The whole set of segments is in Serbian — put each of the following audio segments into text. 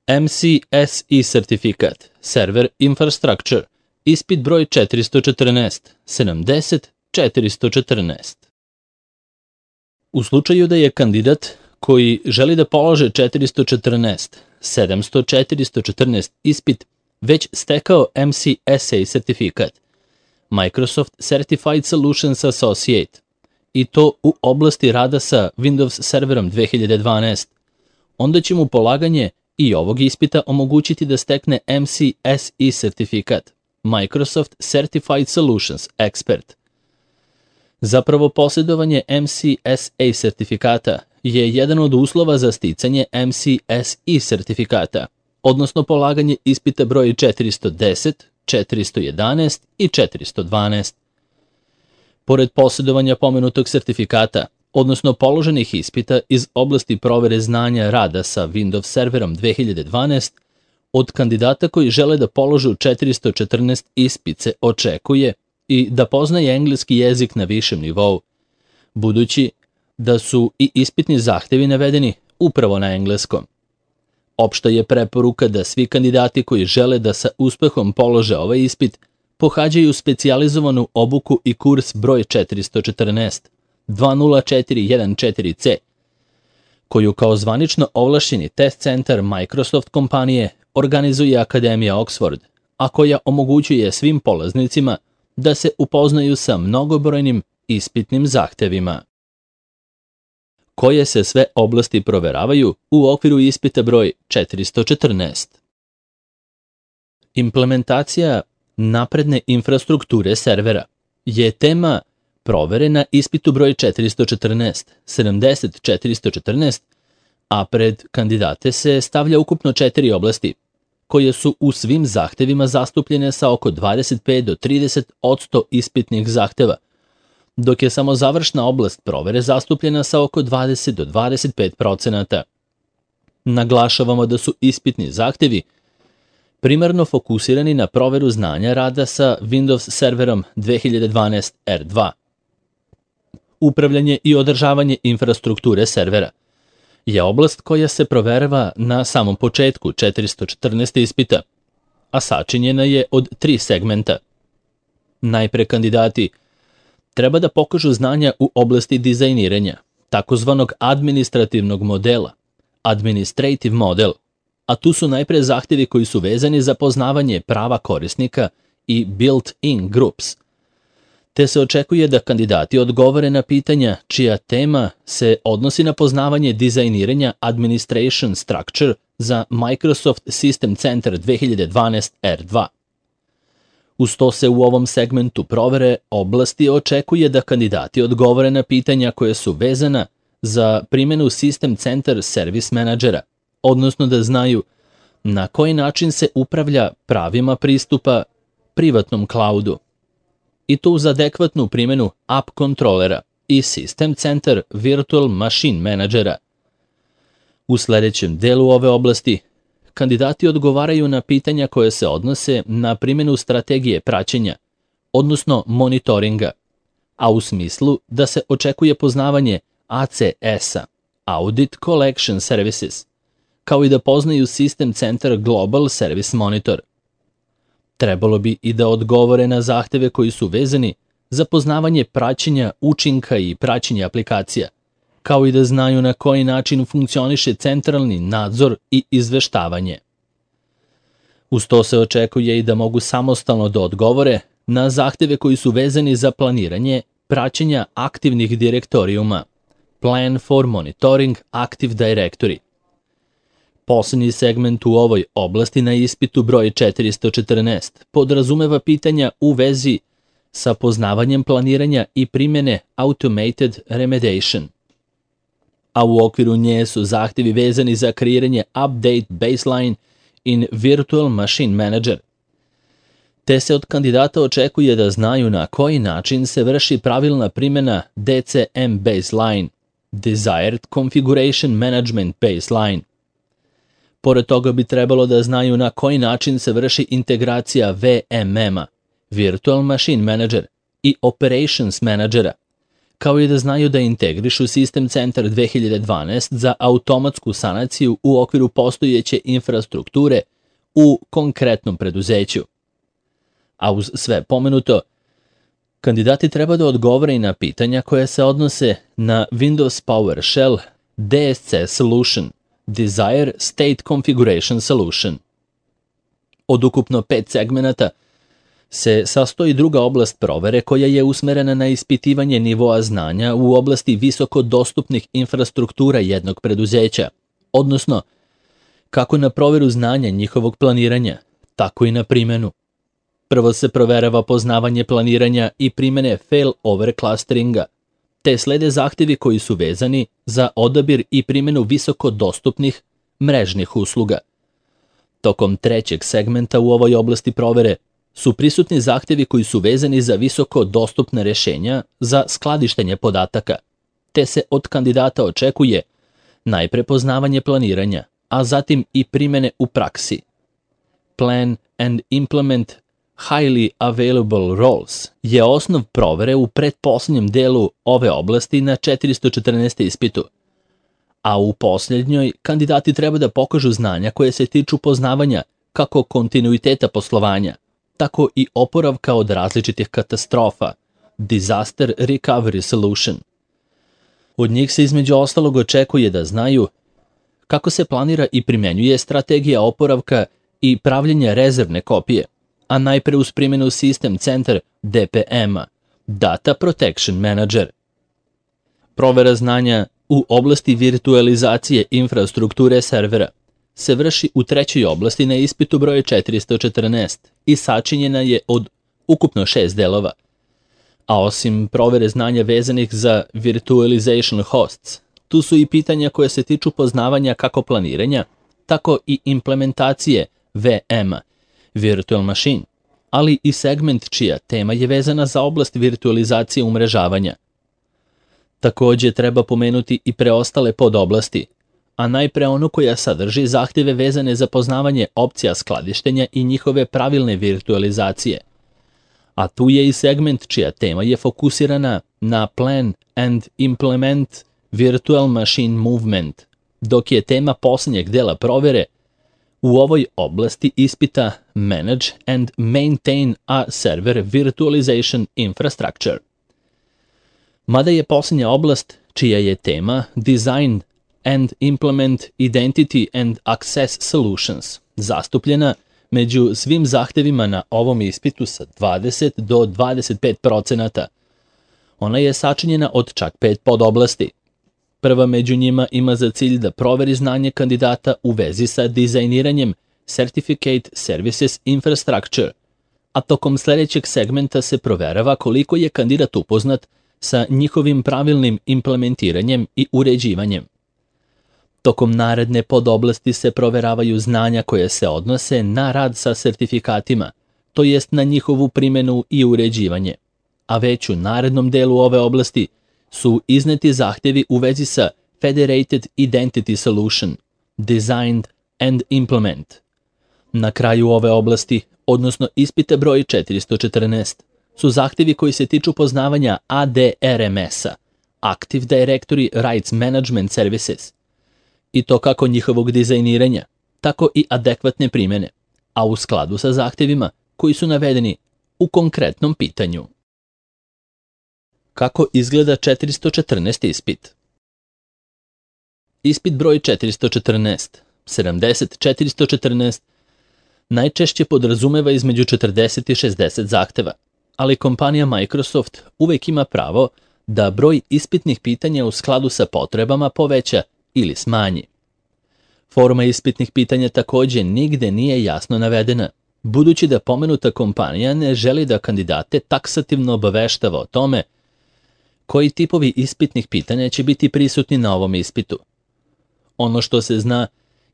MCSE sertifikat, Server Infrastructure, ispit broj 414, 70 414. U slučaju da je kandidat koji želi da polože 414, 700 414 ispit već stekao MCSA sertifikat, Microsoft Certified Solutions Associate, i to u oblasti rada sa Windows Serverom 2012, onda će mu polaganje i ovog ispita omogućiti da stekne MCSE sertifikat, Microsoft Certified Solutions Expert. Zapravo, posjedovanje MCSA sertifikata je jedan od uslova za sticanje MCSE sertifikata, odnosno polaganje ispita broj 410, 411 i 412. Pored posjedovanja pomenutog sertifikata, odnosno položenih ispita iz oblasti provere znanja rada sa Windows Serverom 2012, od kandidata koji žele da položu 414 ispit se očekuje i da poznaje engleski jezik na višem nivou, budući da su i ispitni zahtevi navedeni upravo na engleskom. Opšta je preporuka da svi kandidati koji žele da sa uspehom polože ovaj ispit pohađaju specijalizovanu obuku i kurs broj 414, 20414C, koju kao zvanično ovlašćeni test centar Microsoft kompanije organizuje Akademija Oxford, a koja omogućuje svim polaznicima da se upoznaju sa mnogobrojnim ispitnim zahtevima. Koje se sve oblasti proveravaju u okviru ispita broj 414? Implementacija napredne infrastrukture servera je tema provere na ispitu broj 414, 70 414, a pred kandidate se stavlja ukupno 4 oblasti, koje su u svim zahtevima zastupljene sa oko 25 do 30% ispitnih zahteva, dok je samo završna oblast provere zastupljena sa oko 20 do 25%. Naglašavamo da su ispitni zahtevi primarno fokusirani na proveru znanja rada sa Windows Serverom 2012 R2. Upravljanje i održavanje infrastrukture servera je oblast koja se proverava na samom početku 414. ispita, a sačinjena je od 3 segmenta. Najpre kandidati treba da pokažu znanja u oblasti dizajniranja, takozvanog administrativnog modela, administrative model, a tu su najpre zahtevi koji su vezani za poznavanje prava korisnika i built-in groups, te se očekuje da kandidati odgovore na pitanja čija tema se odnosi na poznavanje dizajniranja Administration Structure za Microsoft System Center 2012 R2. Uz to se u ovom segmentu provere oblasti očekuje da kandidati odgovore na pitanja koje su vezana za primjenu System Center Service Managera, odnosno da znaju na koji način se upravlja pravima pristupa privatnom cloudu, i to uz adekvatnu primjenu App Controllera i System Center Virtual Machine Managera. U sledećem delu ove oblasti kandidati odgovaraju na pitanja koje se odnose na primjenu strategije praćenja, odnosno monitoringa, a u smislu da se očekuje poznavanje ACS-a, Audit Collection Services, kao i da poznaju System Center Global Service Monitor. Trebalo bi i da odgovore na zahteve koji su vezani za poznavanje praćenja učinka i praćenja aplikacija, kao i da znaju na koji način funkcioniše centralni nadzor i izveštavanje. Uz to se očekuje i da mogu samostalno da odgovore na zahteve koji su vezani za planiranje praćenja aktivnih direktorijuma, Plan for Monitoring Active Directory. Poslednji segment u ovoj oblasti na ispitu broj 414 podrazumeva pitanja u vezi sa poznavanjem planiranja i primjene Automated Remediation, a u okviru nje su zahtevi vezani za kreiranje Update Baseline in Virtual Machine Manager, te se od kandidata očekuje da znaju na koji način se vrši pravilna primjena DCM Baseline, Desired Configuration Management Baseline. Pored toga bi trebalo da znaju na koji način se vrši integracija VMM-a, Virtual Machine Manager, i Operations Managera, kao i da znaju da integrišu Sistem Centar 2012 za automatsku sanaciju u okviru postojeće infrastrukture u konkretnom preduzeću. A uz sve pomenuto, kandidati treba da odgovore i na pitanja koja se odnose na Windows PowerShell DSC Solution, Desired State Configuration Solution. Od ukupno 5 segmenata se sastoji druga oblast provere koja je usmerena na ispitivanje nivoa znanja u oblasti visoko dostupnih infrastruktura jednog preduzeća, odnosno kako na proveru znanja njihovog planiranja, tako i na primenu. Prvo se proverava poznavanje planiranja i primene failover clusteringa, te slede zahtevi koji su vezani za odabir i primenu visoko dostupnih mrežnih usluga. Tokom trećeg segmenta u ovoj oblasti provere su prisutni zahtevi koji su vezani za visoko dostupne rešenja za skladištenje podataka, te se od kandidata očekuje najpre poznavanje planiranja, a zatim i primene u praksi. Plan and implement highly available roles je osnov provere u pretposlednjem delu ove oblasti na 414. ispitu, a u posljednjoj kandidati treba da pokažu znanja koje se tiču poznavanja kako kontinuiteta poslovanja, tako i oporavka od različitih katastrofa, Disaster Recovery Solution. Od njih se između ostalog očekuje da znaju kako se planira i primenjuje strategija oporavka i pravljenja rezervne kopije, a najpre uz primjenu System Center DPM-a, Data Protection Manager. Provera znanja u oblasti virtualizacije infrastrukture servera se vrši u trećoj oblasti na ispitu broj 414 i sačinjena je od ukupno 6 delova. A osim provere znanja vezanih za virtualization hosts, tu su i pitanja koje se tiču poznavanja kako planiranja, tako i implementacije VM-a, Virtual Machine, ali i segment čija tema je vezana za oblast virtualizacije umrežavanja. Takođe treba pomenuti i preostale podoblasti, a najpre onu koja sadrži zahtjeve vezane za poznavanje opcija skladištenja i njihove pravilne virtualizacije. A tu je i segment čija tema je fokusirana na Plan and Implement Virtual Machine Movement, dok je tema posljednjeg dela provere u ovoj oblasti ispita Manage and Maintain a Server Virtualization Infrastructure. Mada je posljednja oblast čija je tema Design and Implement Identity and Access Solutions zastupljena među svim zahtevima na ovom ispitu sa 20 do 25%. Ona je sačinjena od čak 5 podoblasti. Prva među njima ima za cilj da proveri znanje kandidata u vezi sa dizajniranjem Certificate Services Infrastructure, a tokom sljedećeg segmenta se proverava koliko je kandidat upoznat sa njihovim pravilnim implementiranjem i uređivanjem. Tokom naredne podoblasti se proveravaju znanja koje se odnose na rad sa sertifikatima, to jest na njihovu primjenu i uređivanje, a već u narednom delu ove oblasti su izneti zahtjevi u vezi sa Federated Identity Solution, Designed and Implement. Na kraju ove oblasti, odnosno ispite broj 414, su zahtjevi koji se tiču poznavanja ADRMS-a, Active Directory Rights Management Services, i to kako njihovog dizajniranja, tako i adekvatne primjene, a u skladu sa zahtjevima koji su navedeni u konkretnom pitanju. Kako izgleda 414. ispit? Ispit broj 414, 70-414, najčešće podrazumeva između 40 i 60 zahteva, ali kompanija Microsoft uvek ima pravo da broj ispitnih pitanja u skladu sa potrebama poveća ili smanji. Forma ispitnih pitanja takođe nigde nije jasno navedena, budući da pomenuta kompanija ne želi da kandidate taksativno obaveštava o tome koji tipovi ispitnih pitanja će biti prisutni na ovom ispitu. Ono što se zna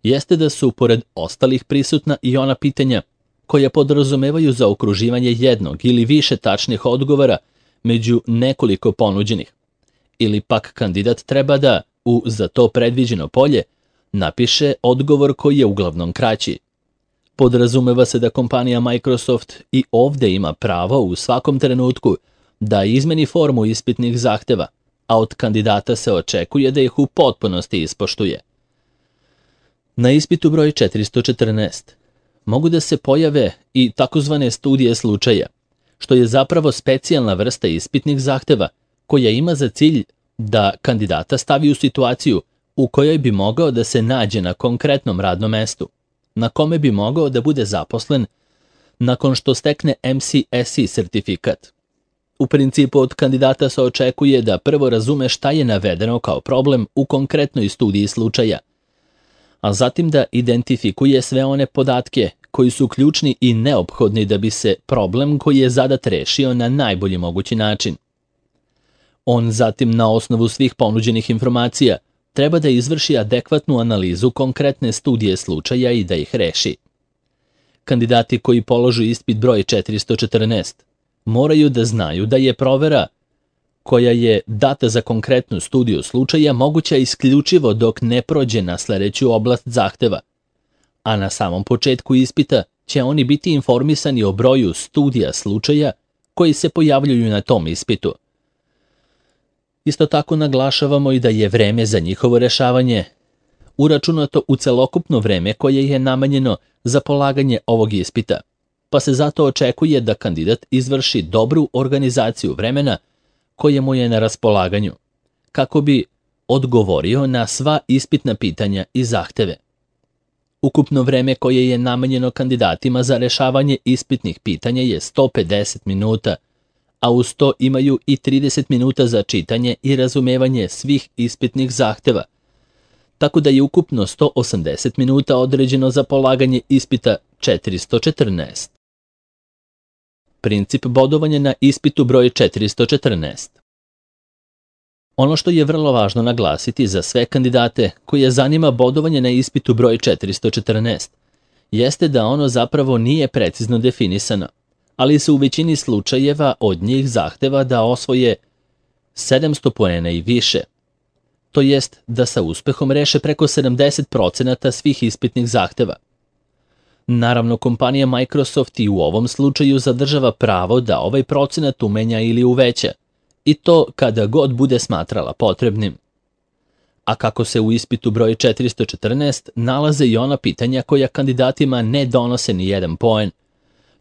jeste da su pored ostalih prisutna i ona pitanja koja podrazumevaju zaokruživanje jednog ili više tačnih odgovora među nekoliko ponuđenih, ili pak kandidat treba da u za to predviđeno polje napiše odgovor koji je uglavnom kraći. Podrazumeva se da kompanija Microsoft i ovde ima pravo u svakom trenutku da izmeni formu ispitnih zahteva, a od kandidata se očekuje da ih u potpunosti ispoštuje. Na ispitu broj 414 mogu da se pojave i takozvane studije slučaja, što je zapravo specijalna vrsta ispitnih zahteva koja ima za cilj da kandidata stavi u situaciju u kojoj bi mogao da se nađe na konkretnom radnom mestu, na kome bi mogao da bude zaposlen nakon što stekne MCSE sertifikat. U principu od kandidata se očekuje da prvo razume šta je navedeno kao problem u konkretnoj studiji slučaja, a zatim da identifikuje sve one podatke koji su ključni i neophodni da bi se problem koji je zadat rešio na najbolji mogući način. On zatim na osnovu svih ponuđenih informacija treba da izvrši adekvatnu analizu konkretne studije slučaja i da ih reši. Kandidati koji položu ispit broj 414 moraju da znaju da je provera koja je data za konkretnu studiju slučaja moguća isključivo dok ne prođe na sledeću oblast zahteva, a na samom početku ispita će oni biti informisani o broju studija slučaja koji se pojavljuju na tom ispitu. Isto tako naglašavamo i da je vreme za njihovo rešavanje uračunato u celokupno vreme koje je namenjeno za polaganje ovog ispita, pa se zato očekuje da kandidat izvrši dobru organizaciju vremena koje mu je na raspolaganju, kako bi odgovorio na sva ispitna pitanja i zahteve. Ukupno vreme koje je namenjeno kandidatima za rešavanje ispitnih pitanja je 150 minuta, a uz to imaju i 30 minuta za čitanje i razumevanje svih ispitnih zahteva, tako da je ukupno 180 minuta određeno za polaganje ispita 414. Princip bodovanja na ispitu broj 414. Ono što je vrlo važno naglasiti za sve kandidate koje zanima bodovanje na ispitu broj 414 jeste da ono zapravo nije precizno definisano, ali se u većini slučajeva od njih zahteva da osvoje 700 poena i više, to jest da sa uspehom reše preko 70% svih ispitnih zahteva. Naravno, kompanija Microsoft i u ovom slučaju zadržava pravo da ovaj procenat umenja ili uveća, i to kada god bude smatrala potrebnim. A kako se u ispitu broj 414 nalaze i ona pitanja koja kandidatima ne donose ni jedan poen,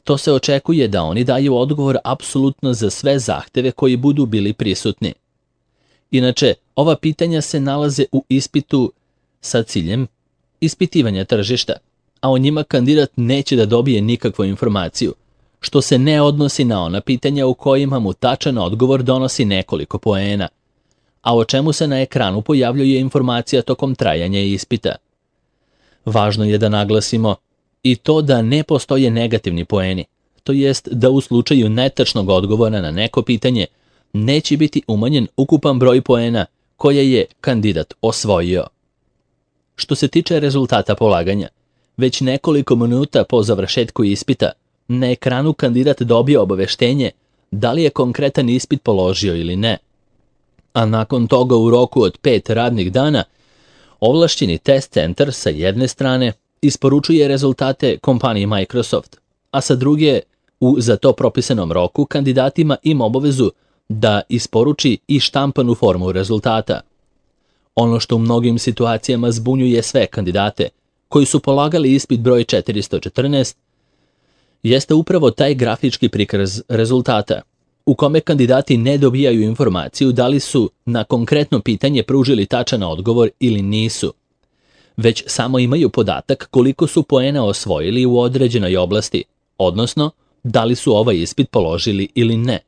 to se očekuje da oni daju odgovor apsolutno za sve zahteve koji budu bili prisutni. Inače, ova pitanja se nalaze u ispitu sa ciljem ispitivanja tržišta, a o njima kandidat neće da dobije nikakvu informaciju, što se ne odnosi na ona pitanja u kojima mu tačan odgovor donosi nekoliko poena, a o čemu se na ekranu pojavljuje informacija tokom trajanja ispita. Važno je da naglasimo i to da ne postoje negativni poeni, to jest da u slučaju netačnog odgovora na neko pitanje neće biti umanjen ukupan broj poena koje je kandidat osvojio. Što se tiče rezultata polaganja, već nekoliko minuta po završetku ispita na ekranu kandidat dobije obaveštenje da li je konkretan ispit položio ili ne. A nakon toga u roku od 5 radnih dana ovlašćeni test centar sa jedne strane isporučuje rezultate kompaniji Microsoft, a sa druge u za to propisanom roku kandidatima ima obavezu da isporuči i štampanu formu rezultata. Ono što u mnogim situacijama zbunjuje sve kandidate koji su polagali ispit broj 414 jeste upravo taj grafički prikaz rezultata, u kome kandidati ne dobijaju informaciju da li su na konkretno pitanje pružili tačan odgovor ili nisu, već samo imaju podatak koliko su poena osvojili u određenoj oblasti, odnosno da li su ovaj ispit položili ili ne.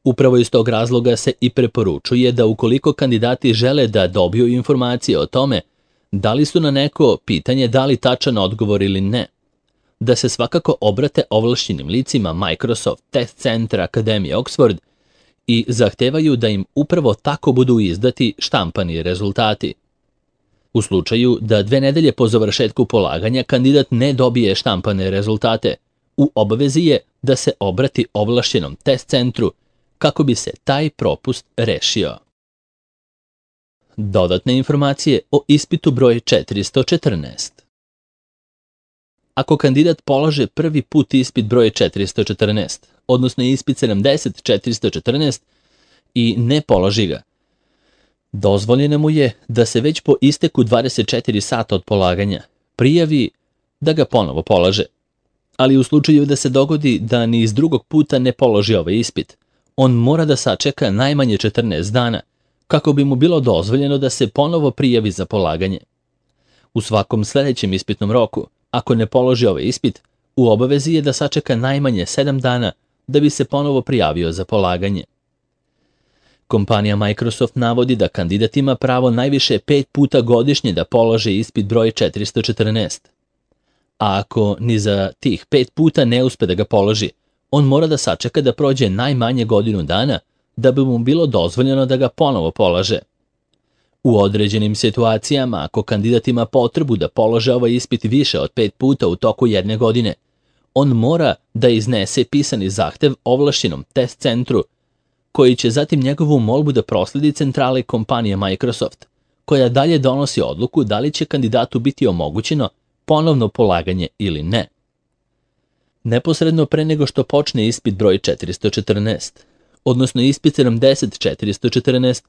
Upravo iz tog razloga se i preporučuje da ukoliko kandidati žele da dobiju informacije o tome da li su na neko pitanje dali tačan odgovor ili ne, da se svakako obrate ovlašćenim licima Microsoft Test Center Akademije Oxford i zahtevaju da im upravo tako budu izdati štampani rezultati. U slučaju da 2 nedelje po završetku polaganja kandidat ne dobije štampane rezultate, u obavezi je da se obrati ovlašćenom test centru kako bi se taj propust rešio. Dodatne informacije o ispitu broj 414. Ako kandidat polaže prvi put ispit broj 414, odnosno ispit 70-414 i ne položi ga. Dozvoljeno mu je da se već po isteku 24 sata od polaganja prijavi da ga ponovo polaže. Ali u slučaju da se dogodi da ni iz drugog puta ne položi ovaj ispit, on mora da sačeka najmanje 14 dana kako bi mu bilo dozvoljeno da se ponovo prijavi za polaganje. U svakom sljedećem ispitnom roku, ako ne položi ovaj ispit, u obavezi je da sačeka najmanje 7 dana da bi se ponovo prijavio za polaganje. Kompanija Microsoft navodi da kandidat ima pravo najviše 5 puta godišnje da položi ispit broj 414. A ako ni za tih 5 puta ne uspe da ga položi, on mora da sačeka da prođe najmanje godinu dana da bi mu bilo dozvoljeno da ga ponovo polaže. U određenim situacijama, ako kandidat ima potrebu da polože ovaj ispit više od 5 puta u toku jedne godine, on mora da iznese pisani zahtev ovlašćenom test centru, koji će zatim njegovu molbu da prosledi centrali kompanije Microsoft, koja dalje donosi odluku da li će kandidatu biti omogućeno ponovno polaganje ili ne. Neposredno pre nego što počne ispit broj 414, odnosno ispit 70-414,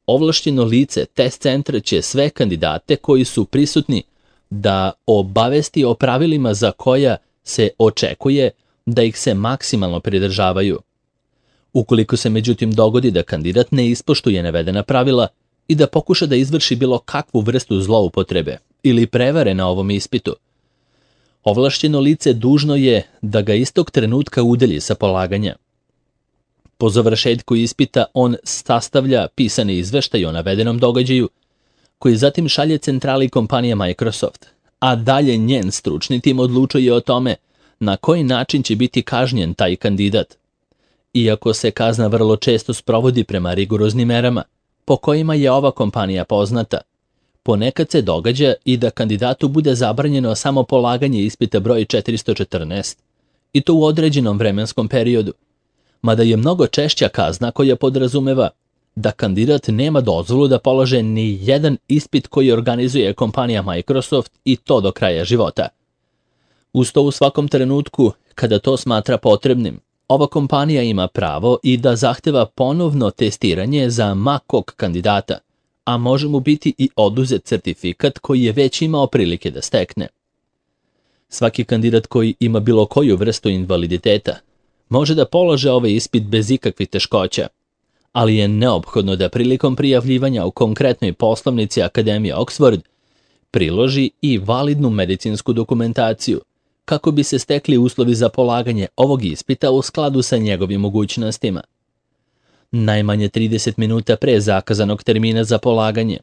ovlašćeno lice test centra će sve kandidate koji su prisutni da obavesti o pravilima za koja se očekuje da ih se maksimalno pridržavaju. Ukoliko se međutim dogodi da kandidat ne ispoštuje navedena pravila i da pokuša da izvrši bilo kakvu vrstu zloupotrebe ili prevare na ovom ispitu, ovlašćeno lice dužno je da ga istog trenutka udalji sa polaganja. Po završetku ispita on sastavlja pisani izveštaj o navedenom događaju, koji zatim šalje centrali kompanije Microsoft, a dalje njen stručni tim odlučuje o tome na koji način će biti kažnjen taj kandidat. Iako se kazna vrlo često sprovodi prema rigoroznim merama, po kojima je ova kompanija poznata, ponekad se događa i da kandidatu bude zabranjeno samo polaganje ispita broj 414, i to u određenom vremenskom periodu, mada je mnogo češća kazna koja podrazumeva da kandidat nema dozvolu da polože ni jedan ispit koji organizuje kompanija Microsoft i to do kraja života. Uz to u svakom trenutku, kada to smatra potrebnim, ova kompanija ima pravo i da zahteva ponovno testiranje za ma kog kandidata, a može mu biti i oduzet certifikat koji je već imao prilike da stekne. Svaki kandidat koji ima bilo koju vrstu invaliditeta može da polože ovaj ispit bez ikakvih teškoća, ali je neophodno da prilikom prijavljivanja u konkretnoj poslovnici Akademije Oxford priloži i validnu medicinsku dokumentaciju, kako bi se stekli uslovi za polaganje ovog ispita u skladu sa njegovim mogućnostima. Najmanje 30 minuta pre zakazanog termina za polaganje,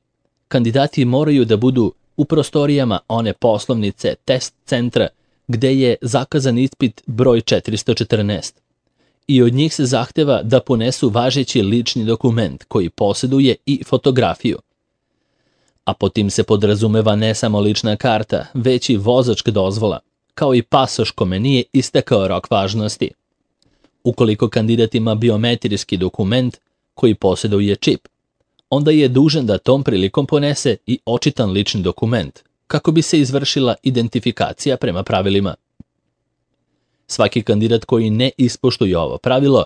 kandidati moraju da budu u prostorijama one poslovnice test centra gde je zakazan ispit broj 414 i od njih se zahteva da ponesu važeći lični dokument koji posjeduje i fotografiju. A po tim se podrazumeva ne samo lična karta, već i vozačka dozvola, kao i pasoš kome nije istekao rok važnosti. Ukoliko kandidat ima biometrijski dokument koji posjeduje čip, onda je dužan da tom prilikom ponese i očitan lični dokument, kako bi se izvršila identifikacija prema pravilima. Svaki kandidat koji ne ispoštuje ovo pravilo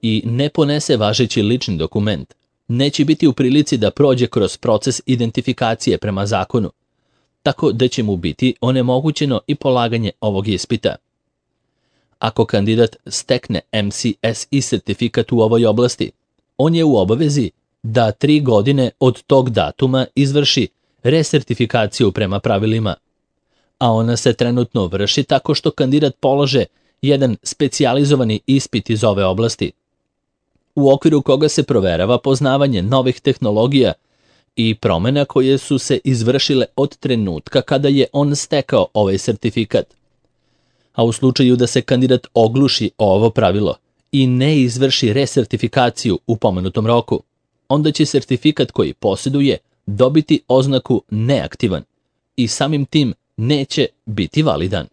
i ne ponese važeći lični dokument, neće biti u prilici da prođe kroz proces identifikacije prema zakonu, tako da će mu biti onemogućeno i polaganje ovog ispita. Ako kandidat stekne MCSE sertifikat u ovoj oblasti, on je u obavezi da 3 godine od tog datuma izvrši resertifikaciju prema pravilima, a ona se trenutno vrši tako što kandidat polože jedan specijalizovani ispit iz ove oblasti, u okviru koga se proverava poznavanje novih tehnologija i promjena koje su se izvršile od trenutka kada je on stekao ovaj sertifikat. A u slučaju da se kandidat ogluši o ovo pravilo i ne izvrši resertifikaciju u pomenutom roku, onda će sertifikat koji posjeduje dobiti oznaku neaktivan i samim tim neće biti validan.